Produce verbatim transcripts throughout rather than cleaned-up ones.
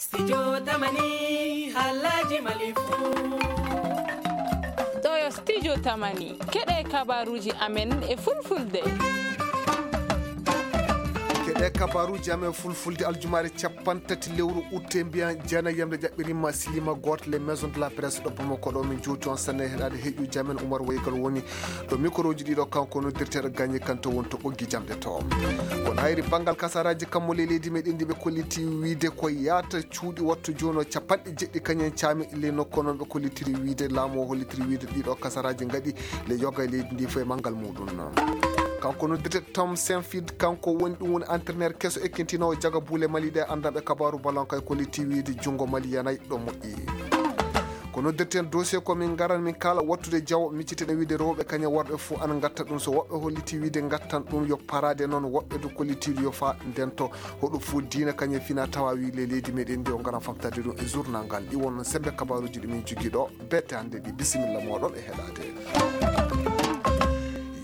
Studio Tamani, Halaji Malifu. Ɗo yo Studio Tamani, keɗe kabaruji amen e fulfulde. Keɗe kabaruji amen fulfulde aljumaare capanɗe tati lewru utte mbiyan jana yamde jaɓɓirimma silima goto les maisons de la presse ɗo Bamako ɗo min jowti on sanne heɗade heƴuji amen Umar Waygal woni ɗo microji ɗiɗo kanko noddirteɗo gagné kanto woni to ɓoggi jamɗe to. Kono hayri banngal kasaraji kammo le leydi meɗen ndi ɓe kolliti wiide ko yaata cuuɗi wattu jono capanɗe jeɗɗi kañum en caami le nokko noon ɓe kollitiri wiide laamu o hollitiri wiide ɗiɗo kasaraji ngaɗi le yoga e leydi ndi fof e manngal muɗum. Kanko noddirte Tom Saintfiet kanko woni ɗum woni entraîneur keso ekkintinowo jaga buule mali ɗe anndanɓe kabaru ballon kay kolliti wiide junngo mali yanay ɗo moƴƴi. Ko noddirten dossier ko min ngaran min kaala wattude jawo micciten e wiide rewɓe kañum worɓe fof ana ngatta ɗum so woɓɓe holliti wiide ngattan ɗum yo parade noon woɓɓe du kollitiiɗo yo fa ndento hoɗo fof diina kañum fina tawa wi le leydi meɗen ndi o ngaran famtade ɗum e journal ngal ɗi won sembe kabaruji ɗi min jogii ɗo bette hannde ɗi bisimilla moɗon e heɗade.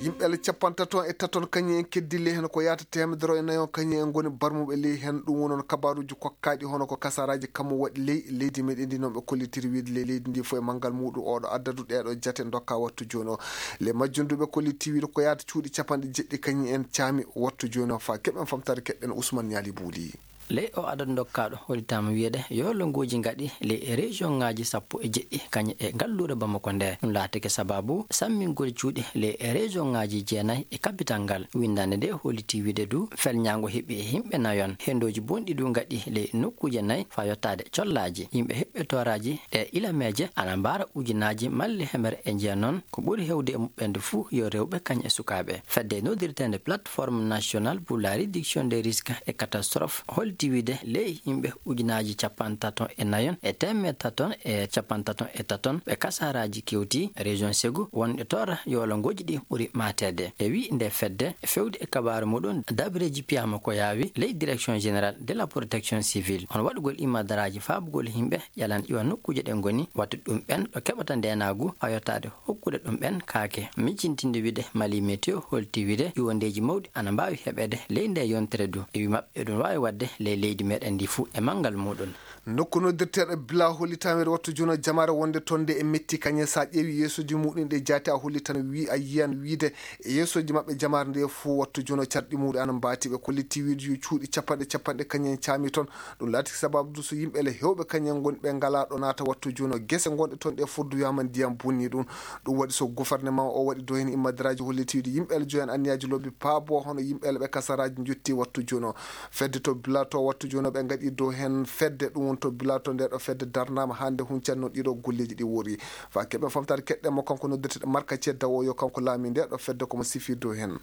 Yimɓe le capantaton e taton kañum en keddi ley heen ko yaata temedere e nayon kañum en ngoni barmuɓe ley heen ɗum wonon kabaruji kokkaɗi hono ko kasaraji kammu waɗi ley leydi meɗen ndi noon ɓe kollitiri wiide ley leydi ndi fof e manngal muɗum oɗo addadu ɗeɗo jate dokka wattu joni o. Le majjunduɓe kolliti wiide ko yaata cuuɗi capanɗe jeɗɗi kañum en caami wattu joni o fa keɓen famtare keɓɓen Ousmane Ñaali Buuli. Ley o adadu dokkaaɗo hollitaama wiyeede yo lonngoji ngaɗi ley e région ŋaaji sappo e jeɗɗi kañum e ngalluure Bamako nde ɗum laatike sababu sammingol cuuɗi ley e région ŋaaji jeenayi e kapital ngal winndaande nde holliti wiide du felñaango heɓi e yimɓe nayon hendoji bonɗi du ngaɗi ley nokkuuje nayi faa yottaade collaaji yimɓe heɓɓe tooraaji e ilameeje ana mbaara ujunaaji malli hemere e jeenon ko ɓuri hewde e muɓɓen de fuu yo rewɓe kañ e sukaaɓe fedde noddirteende plateforme nationale pour la réduction des risques e catastrophe holti wiide ley yimɓe ujunaaji capantaton e nayon e teemettaton e capantaton e taton ɓe kasaraaji kewti région segu wonɓe toora yolongoji ɗi ɓuri mateede e wi nde fedde fewde e kabaaru muɗum dabreji piyama ko yaawi ley direction générale de la protection civile hono waɗugol imadaraaji faabugol yimɓe ƴalan iwa nokkuuje ɗe ngoni wattu ɗum ɓen ɗo keɓata ndenaagu hayotaade hokkude ɗum ɓen kaake miccintinde wiide mali météo holti wiide iwondeeji mawɗi ana mbaawi heɓeede ley nde yontere du iwi maɓɓe eɗum waawi waɗde ley leydi meɗen ndi fuu e manngal muɗum. Nokku noddirteeɗo bila hollitameede wattu jono jamaare wonde toon nde e metti kañe so a ƴeewi yeesoji muɗum ɗe jaati a hollitan wi a yiyan wiide e yeesoji maɓɓe jamaare nde fof wattu jono carɗi muɗum ana mbaati ɓe kolliti wiide yo cuuɗi capanɗe capanɗe kañen caami toon. Ɗum laati sababu du so yimɓe le hewɓe kañen ngoni ɓe ngalaa ɗo naata wattu jono gese ngonɗe toon ɗe foddu wiyaama ndiyam bonni ɗum. Ɗum waɗi so gouvernement o waɗi dow heen immadiraaji holliti wiide yimɓe le joyan anniyaaji lobbi paabo hono yimɓe le ɓe kasaraaji njotti wattu jono. Fedde to bilato wattu jono ɓe ngaɗi dow heen fedde ɗum woni to bilato nde ɗo fedde darnaama hannde huncan noon ɗiɗo golleeji ɗi wori. Fa keɓe famtaade keɗɗe mo kanko noddirteɗo marka cedda o yo kanko laami nde ɗo fedde komo sifi dow heen.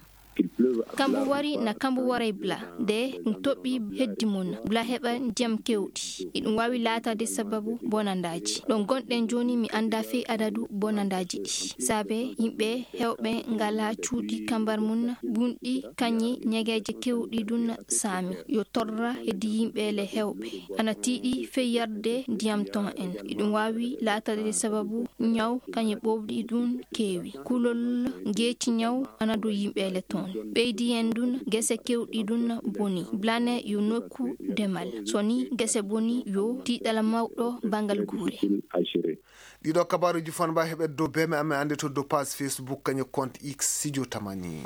Kambu wari na kambu waray bla de ɗum toɓɓi heddi mum bla heɓa ndiyam kewɗi iɗum waawi laataade sababu bonandaaji ɗo ngonɗen jooni mi annda fey adadu bonandaaji ɗi saabe yimɓe hewɓe ngala cuuɗi kambar mum bunɗi kañi ñegeeje kewɗi ɗum saami yo torra heddi yimɓe le hewɓe ana tiiɗi fey yarde ndiyam ton en iɗum waawi laataade sababu ñaw kañe ɓowɗi ɗum keewi kulol ngeeci ñaw ana dow yimɓe le toon ɓeydi en ɗum gese kewɗi ɗum boni blane yo nokku demal so ni gese boni yo tiiɗal mawɗo bangal guure. Ɗiɗo kabaruji fanba heɓe dow beme amen annde to dow page Facebook kañe compte X sijo tamani.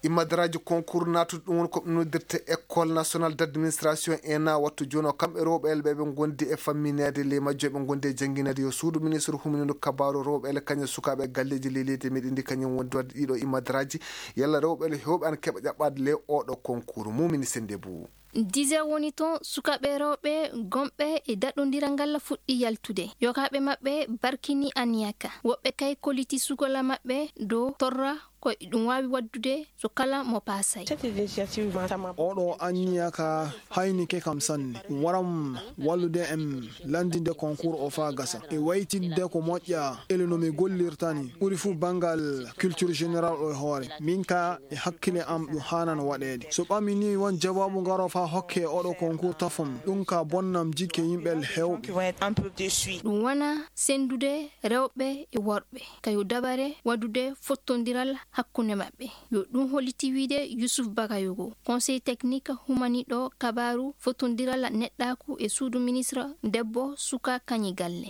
Immadaraaji concours naatude ɗum woni ko ɓe noddirta école nationale d' administration E N A wattu jooni o kamɓe rewɓe elɓe ɓe ngondi e fammineede ley majjo ɓe ngondi e janngineede yo suudu ministre huminino kabaaru rewɓe ele kañum sukaaɓe e galleeji ley leydi meɗen ndi kañum wondi waɗde ɗiɗo immadaraaji yalla rewɓe ele hewɓe ana keɓa ƴaɓɓaade ley oɗo concours mumini sende bou. Dix heures woni ton sukaaɓe rewɓe gomɓe e daɗondiral ngal fuɗɗi yaltude yokaaɓe maɓɓe barkini aniyaka woɓɓe kay koliti sugola maɓɓe dow torra ko e ɗum waawi waɗdude so kala mo paasay. Oɗo anniya ka haynike kam sanne. Waram wallude em lanndinde konkuur o faa gasa. E waytinde ko moƴƴa ele no mi gollirtani ɓuri fuu banngal culture générale o e hoore. Min ka e hakkile am ɗum haanan waɗeede. So ɓami ni won jawaabu ngaro faa hokke oɗo konkuur tafon ɗum ka bonnam jikke yimɓe heewɓe. Ɗum wona senndude rewɓe e worɓe. Kayo dabare waɗude fottondiral hakkunde maɓɓe. Yo ɗum holliti wiyde Yusuf Bagayogo, conseil technique humaniɗo kabaaru fotondiral neɗɗaaku e suudu ministre debbo, suka, kañi galle.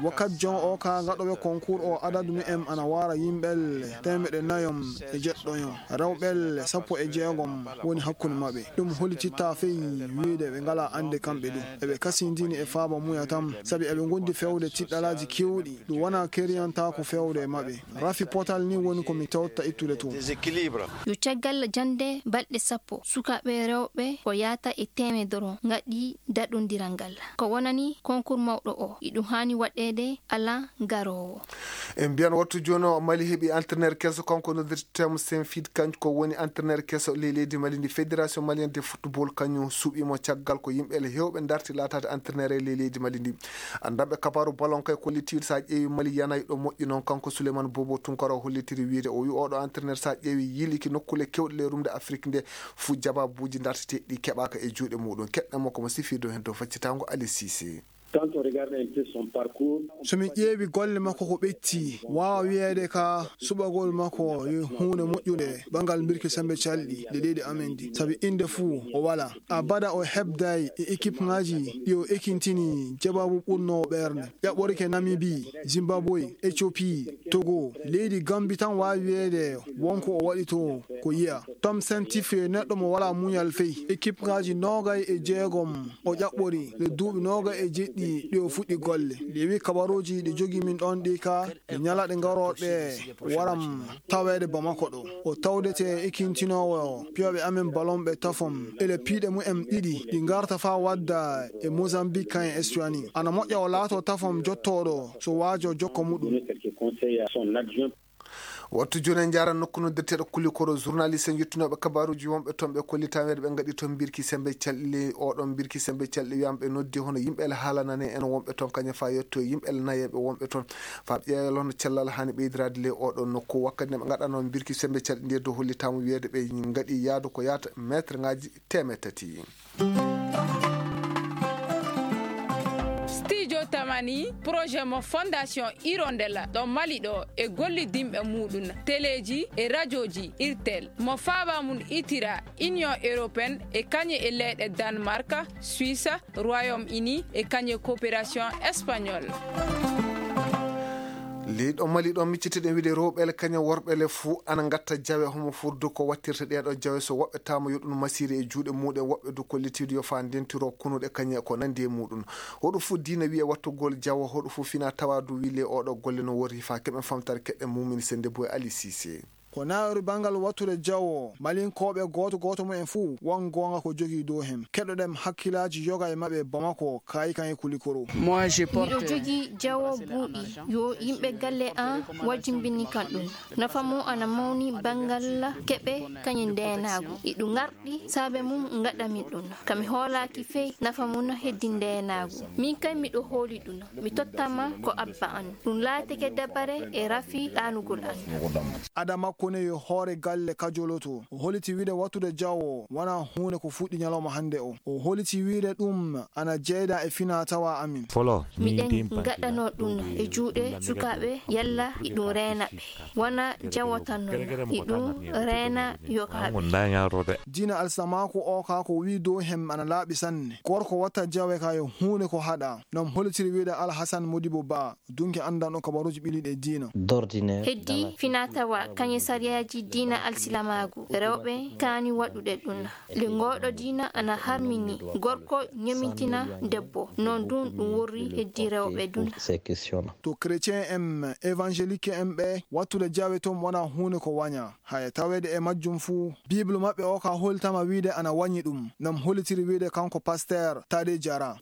Wakkati jon o ka gaɗoɓe konkur o adadu mu'en ana wara yimɓelle temeɗe nayom e jeɗɗoyon, rewɓelle sappo e jeegom woni hakkunde maɓɓe. Ɗum hollititta fey wiyde ɓe ngala ande kamɓe ɗum eɓe kasindini e faaba muya tan, sabi eɓe gondi fewde tiɗɗalaji kewɗi. Ɗum wona keriyantaako fewde e maɓɓe. Rafi potal ni woni ko mi tewta ittude toon. Yo caggal jannde balɗe sappo, sukaaɓe rewɓe ko yaata e teemedoro ngaɗi daɗondiral ngal. Ko wonani konkur mawɗo o, iɗum haani waɗeede alaa garoowo. En mbiyan wattu jooni o Mali heɓi entraîneur keso, kanko noddirtemo Saint Fit, kanko ko woni entraîneur keso ley leydi Mali ndi. Fédération malienne de football kañum suɓimo caggal ko yimɓe le hewɓe darti laataade entraîneur e ley leydi Mali ndi. Anndanɓe kabaaru ballon kay kollitiiɗo, so a ƴeewi Mali yanay ɗo moƴƴi noon. Kanko Souleymane Bobo Tunkara o hollitiri wiyde, o wi oɗo entraîneur so a ƴeewi yiiliki nokkuule kewɗe ley rumde Afrique nde, fuu jababuuji darteteeɗi ɗi keɓaaka e juuɗe muɗum. Keɗɗen mo ko mo sifirde heen dow faccitaango Ali Cissé. So mi ƴeewi golle makko ko ɓetti, waawa wiyeede ka suɓagol makko yo huunde moƴƴunde banngal mbirki sembe calɗi nde leydi amen ndi, sabi innde fuu o wala. Abada o hebday e ekipŋaaji ɗi o ekintini jabaabu ɓurnoowo ɓernde. Ƴaɓɓorike Namibi, Zimbabwe, Ethiopie, Togo, leydi Gambi tan waawi wiyeede won ko o waɗi to ko yiya. Tom Sentif yo neɗɗo mo wala muñal fey. Ekipŋaaji noogay e jeegom o ƴaɓɓori le duuɓi noogay e jeɗɗi ɗi o fuɗɗi golle. Ɗi wi kabaruuji ɗi jogii min ɗoon ɗi ka ɗi ñalaɗe garooɗe waram taweede Bamako ɗo. O tawdete e ekintinoowo piyooɓe amen balon ɓe tafom ele piiɗe mumen ɗiɗi ɗi ngarta faa wadda e Mozambique kan e Estuani. Ana moƴƴa o laato tafom jottooɗo so waajo jokko muɗum. Wattu jooni en njaaran nokku noddirteeɗo Kulikoro. Journaliste en yettunooɓe kabaaruuji wonɓe toon ɓe kolli taweede ɓe ngaɗi toon mbirki sembe calɗi. Oɗon mbirki sembe calɗi wiyama ɓe noddi hono yimɓe ele haalanane en wonɓe toon kañum faa yetto yimɓe ele nayeeɓe wonɓe toon faa ɓe ƴeewa hono cellal haani ɓeydiraade ley oɗo nokku. Wakkati nde ɓe ngaɗanoo mbirki sembe calɗi nde dow hollitaama wiyeede ɓe ngaɗi yaadu ko yaata meetre ŋaaji teemeɗɗe tati. Studio Tamani, projet mo Fondation Hirondelle ɗo Mali ɗo e gollidinɓe muɗum, teleji e rajoji Irtel, mo faaba mum itira Union Européenne e kañe e leyɗe Danemark, Suisse, Royaume Uni e kañe Coopération Espagnole. Leyɗo Mali ɗo miccitiɗen wiide rewɓe ele kañum worɓe ele fuu ana ngatta jawe homo furdu ko wattirta ɗeɗo jawe so woɓɓe tama yo ɗum masiri e juuɗe muɗum woɓɓe du kollitiidu yo faa ndentiro kunuɗe kañum e ko nandi e muɗum. Hoɗo fuu diina wiye wattugol jawo hoɗo fuu fina tawa du wile oɗo golle no worri faa keɓen famtare keɓen mumini sende boy Ali Cissé. Ko naawiri banngal wattude jawo malinkooɓe gooto gooto mumen fuu won goonga ko jogii dow heen. Keɗoɗen hakkillaaji yoga e maɓɓe Bamako, Kaayi Kaayi Kulikoro. Miɗo jogii jawo buuɗi yo yimɓe galle an wajjimbini kan ɗum. Nafa mum ana mawni banngal keɓe kañum ndeenaagu. Iɗu ngarɗi saabe mum ngaɗa min ɗum. Ka mi hoolaaki fey nafa mum heddi ndeenaagu. Min kay miɗo hooli ɗum. Mi tottama ko abba an. Ɗum laatike dabare e rafi ɗaanugol an. Ada makko ne yo hoore galle kajoloto. O holiti wiide wattude jawo wona huunde ko fuɗɗi ñalawma hannde o. O holiti wiide ɗum ana jeyda e fina tawa amin. Miɗen ngaɗano ɗum e juuɗe sukaaɓe yalla iɗum reena ɓe. Wona jawo tan non, iɗum reena yokaaɓe. Diina alsilamaaku o ka ko wii dow hem ana laaɓi sanne. Gorko watta jawe ka yo huunde ko haɗa. Non holitiri wiide Alhasan Modibo Ba. Dunke anndanɗo kabaruuji ɓiliiɗi e diina. Heddi finatawa kañe sariyaaji diina alsilamaagu, rewɓe kaani waɗude ɗum. Le ngooɗo diina ana harmini gorko ñomintina debbo, noon dun ɗum worri heddi rewɓe dun. To chrétien en, évangélique en ɓe, wattude jawe toon wona huunde ko waña. Haya taweede e majjum fuu, Bible maɓɓe o ka holtama wiide ana wañi ɗum. Nam holitiri wiide kanko pasteur Tade Jara.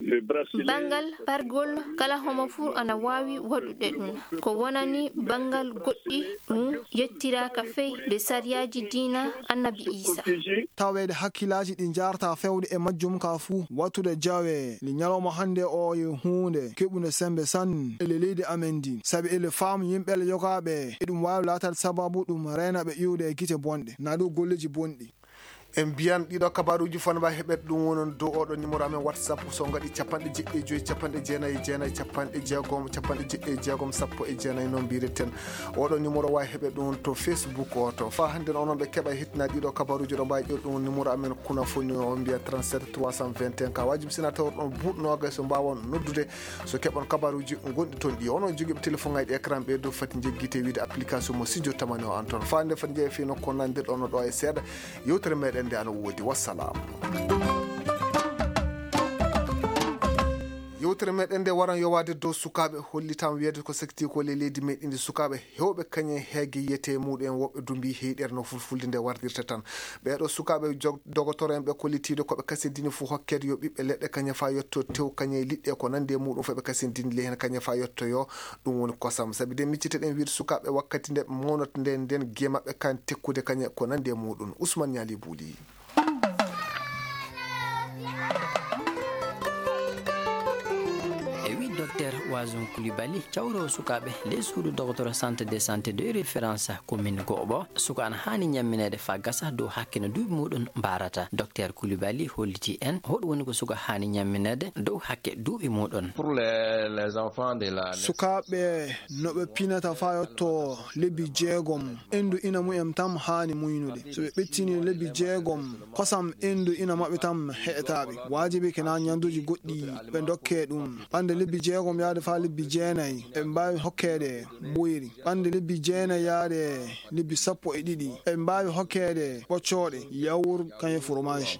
Banngal pargol kala homo fuu ana waawi waɗude ɗum. Ko wonani banngal goɗɗi ɗum yettiraaka fey nde sariyaaji diina Annabi Iisa. Taweede hakkillaaji ɗi njaarta fewde e majjum ka fuu, wattude jawe li ñalawma hannde o yo huunde keɓunde sembe sanne ele leydi amen ndi. Sabi ele faamu yimɓe le yogaaɓe eɗum waawi laataade sababu ɗum reena ɓe iwde e gite bonɗe, naa du golleeji bonɗi. En mbiyan ɗiɗo kabaruuji fof no mbaawi heɓeede ɗum wonon dow oɗo numéro amen WhatsApp, so ngaɗi capanɗe jeɗɗi e joyi, capanɗe jeenayi e jeenayi, capanɗe jeegom, capanɗe jeɗɗi e jeegom, sappo e jeenayi, noon mbiyeten. Oɗo numéro waawi heɓeede ɗum to Facebook o to. Faa hannde onon ɓe keɓa hettina ɗiɗo kabaruuji, ɗo mbaawi ƴeew ɗum numéro amen kuna foni o mbiya trente-sept trois cent vingt et un. Ka waajibi sina tawa ɗon buuɗ noogay so mbaawon noddude, so keɓon kabaruuji gonɗi toon ɗi. Onon jogiiɓe téléphone ŋaaji écran ɓe dow fati njeggite wiide application mo Studio Tamani o an toon. Faa hannde fati njeeya fii nokku o nandirɗo ono ɗo e seeɗa. Yewtere meɗen nde ana woodi. Wassalam. Yewtere meɗen nde waran yowaade dow sukaaɓe, hollitam wiyeede ko sekti ko le leydi meɗen ndi sukaaɓe hewɓe kañe heege yiyete muɗum en woɓɓe dumbi heyɗere no fulfulde nde wardirta tan. Ɓeeɗo sukaaɓe jog-, dogotoro en ɓe kollitiiɗo ko ɓe kasindini fuu hokkeede yo ɓiɓɓe leɗɗe kañe faa yetto tew kañe liɗɗe ko nandi e muɗum fof ɓe kasindini ley heen kañe faa yetto yo ɗum woni kosam. Sabi de miccite ɗen wiide sukaaɓe wakkati nde mawnata nde nden giye maɓɓe kan tekkude kañe ko nandi e muɗum. Ousmane Ñaali Buuli. E wi Docteur Wazon Coulibaly, cawroowo sukaaɓe ley suudu dogotoro Centre de Santé de Référence commune Goɓo, suka ana haani ñammineede faa gasa dow hakke no duuɓi muɗum mbaarata. Docteur Coulibaly holliti en hoɗum woni ko suka haani ñammineede dow hakke duuɓi muɗum. Pour les, les enfants de la... Sukaaɓe no ɓe pinata faa yotto lebbi jeegom, endu ina mumen tam haani muynude. So ɓe ɓettini lebbi jeegom, kosam endu ina maɓɓe tam heƴataa ɓe. Waajibi ke na ñanduuji goɗɗi ɓe ndokkee ɗum. Ɓande lebbi jeegom yaade faa lebbi jeenayi, eɓe mbaawi hokkeede mboyri. Ɓande lebbi jeenayi yaade lebbi sappo e ɗiɗi, eɓe mbaawi hokkeede ɓoccooɗe, yaourt, kañum e fromage.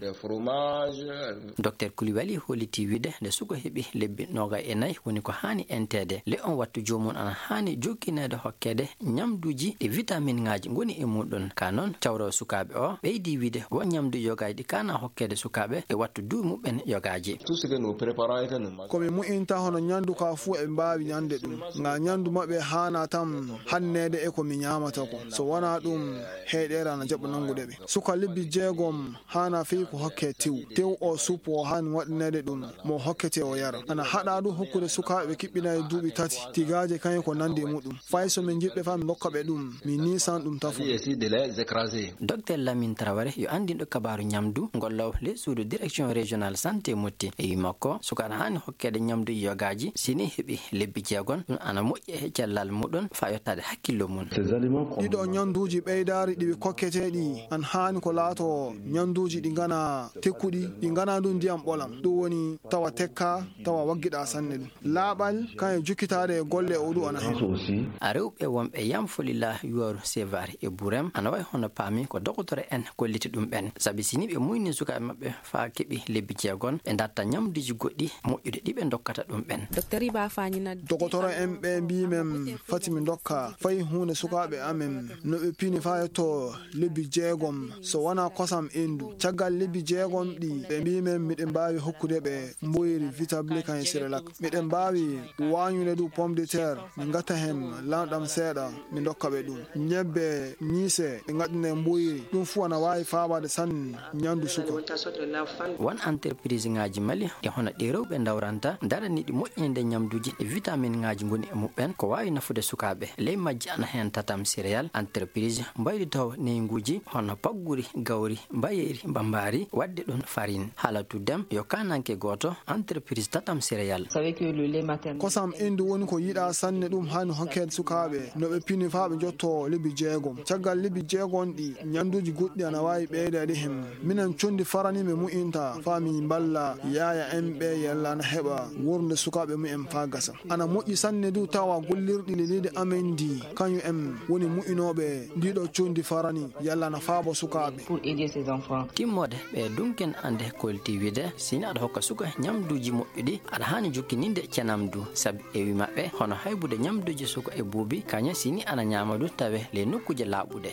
Docteur Coulibaly holliti wiide nde suka heɓi lebbi noogay e nayi woni ko haani enteede. Le on wattu joomum ana haani jokkineede hokkeede ñamduuji ɗi vitaminŋaaji ngoni e muɗum. Ka noon, cawroowo sukaaɓe o ɓeydi wiide won ñamduuji yogaaji ɗi kaana hokkeede sukaaɓe e wattu duuɓi muɓɓen yogaaji. Tout ce que nous préparons et que nous mangeons. Ko mi mu'inta hono ñandu ka fuu eɓe mbaawi ñande ɗum. Nga ñandu maɓɓe haana tam hanneede e ko mi ñaamata ko. So wonaa ɗum, heyɗeere ana jaɓa nanngude ɓe. Suka lebbi jeegom haana fii ko hokke tew. Tew o suppo o haani waɗineede ɗum mo hokkete o yara. Ana haɗa ɗum hokkude sukaaɓe kiɓɓinaaɗe duuɓi tati, tigaaje kañum ko nandi e muɗum. Fay so min njiɗɓe faa min ndokka ɓe ɗum, min niisan ɗum tafo. Essayer de les écraser. Docteur Lamine Traoré yo anndinɗo kabaaru ñamdu ngollowo ley suudu direction régionale santé Motti. E wi makko, suka ana haani hokkeede ñamduuji yogaaji, si ni heɓi lebbi jeegom, ɗum ana moƴƴi e cellal muɗum faa yottaade hakkillo mum. Ces aliments comme... Ɗiɗo ñanduuji ɓeydaari ɗi ɓe kokketee ɗi, an haani ko laato ñanduuji ɗi ngana tekkuɗi, ɗi ngana ɗum ndiyam ɓolam. Ɗum woni tawa tekka, tawa waggiɗa sanne ɗum. Laaɓal, kañum e jukkitaade e golle o ɗum ana heen. A rewɓe wonɓe Yam Folila Yuwaru Sevaari e Burem, ana wayi hono paami ko dogotoro en kolliti ɗum ɓen. Sabi si ni ɓe muyni sukaaɓe maɓɓe faa keɓi lebbi jeegom, ɓe ndatta ñamduuji goɗɗi moƴƴude ɗi ɓe ndokkata ɗum ɓen. Docteur Iba Fani na... Dogotoro en ɓe mbii men fati mi ndokka fay huunde sukaaɓe amen no ɓe pini faa yetto lebbi jeegom, so wonaa kosam endu. Caggal lebbi jeegom ɗi, ɓe mbii men miɗen mbaawi hokkude ɓe mboyri, vitabli kañum e Cerelac. Miɗen mbaawi waañude du pomme de terre, min ngatta heen lanɗam seeɗa, min ndokka ɓe ɗum. Ñebbe, ñiise, ɓe ngaɗɗina e mboyri. Ɗum fuu ana waawi faabaade sanne ñandu suka. Won entrepriseŋaaji Mali e hono ɗi rewɓe ndawranta, daraniiɗi moƴƴinde ñamduuji e vitaminŋaaji ngoni e muɓɓen, ko waawi nafude sukaaɓe. Ley majji ana heen Tatam Céréales, entreprise mbayri taw neynguuji hono pagguri, gawri, mbayeeri, mbambaari, waɗde ɗum farine. Halatu Dem yo kaananke gooto, entreprise Tatam Céréales. Kosam endu woni ko yiɗaa sanne, ɗum haani hokkeede sukaaɓe no ɓe pini faa ɓe njotto lebbi jeegom. Caggal lebbi jeegom ɗi, ñanduuji goɗɗi ana waawi ɓeydeede heen. Minen conndi farani mi mu'inta faa mi mballa yaaya en ɓe yalla ana heɓa wuurnde sukaaɓe mumen faa gasa. Ana moƴƴi sanne du tawa gollirɗi leydi amen ndi, kañum en woni mu'inooɓe ndiɗo conndi farani yalla ana faabo sukaaɓe. Timmoode ɓe dunken ande kolti wiide, si ni aɗa hokka suka ñamduuji moƴƴuɗi, aɗa haani jokkininde cenam du, sabi e wi maɓɓe hono haybude ñamduuji suka e buubi, kañum si ni ana ñaama du tawe ley nokkuuje laaɓuɗe.